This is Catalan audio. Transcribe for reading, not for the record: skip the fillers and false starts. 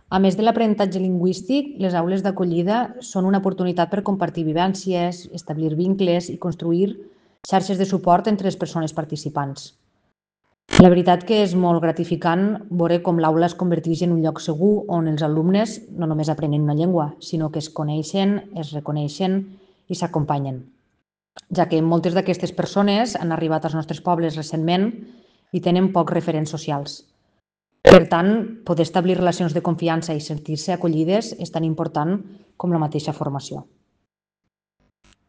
A més de l'aprenentatge lingüístic, les aules d'acollida són una oportunitat per compartir vivències, establir vincles i construir xarxes de suport entre les persones participants. La veritat que és molt gratificant veure com l'aula es converteix en un lloc segur on els alumnes no només aprenen una llengua, sinó que es coneixen, es reconeixen i s'acompanyen, ja que moltes d'aquestes persones han arribat als nostres pobles recentment i tenen pocs referents socials. Per tant, poder establir relacions de confiança i sentir-se acollides és tan important com la mateixa formació.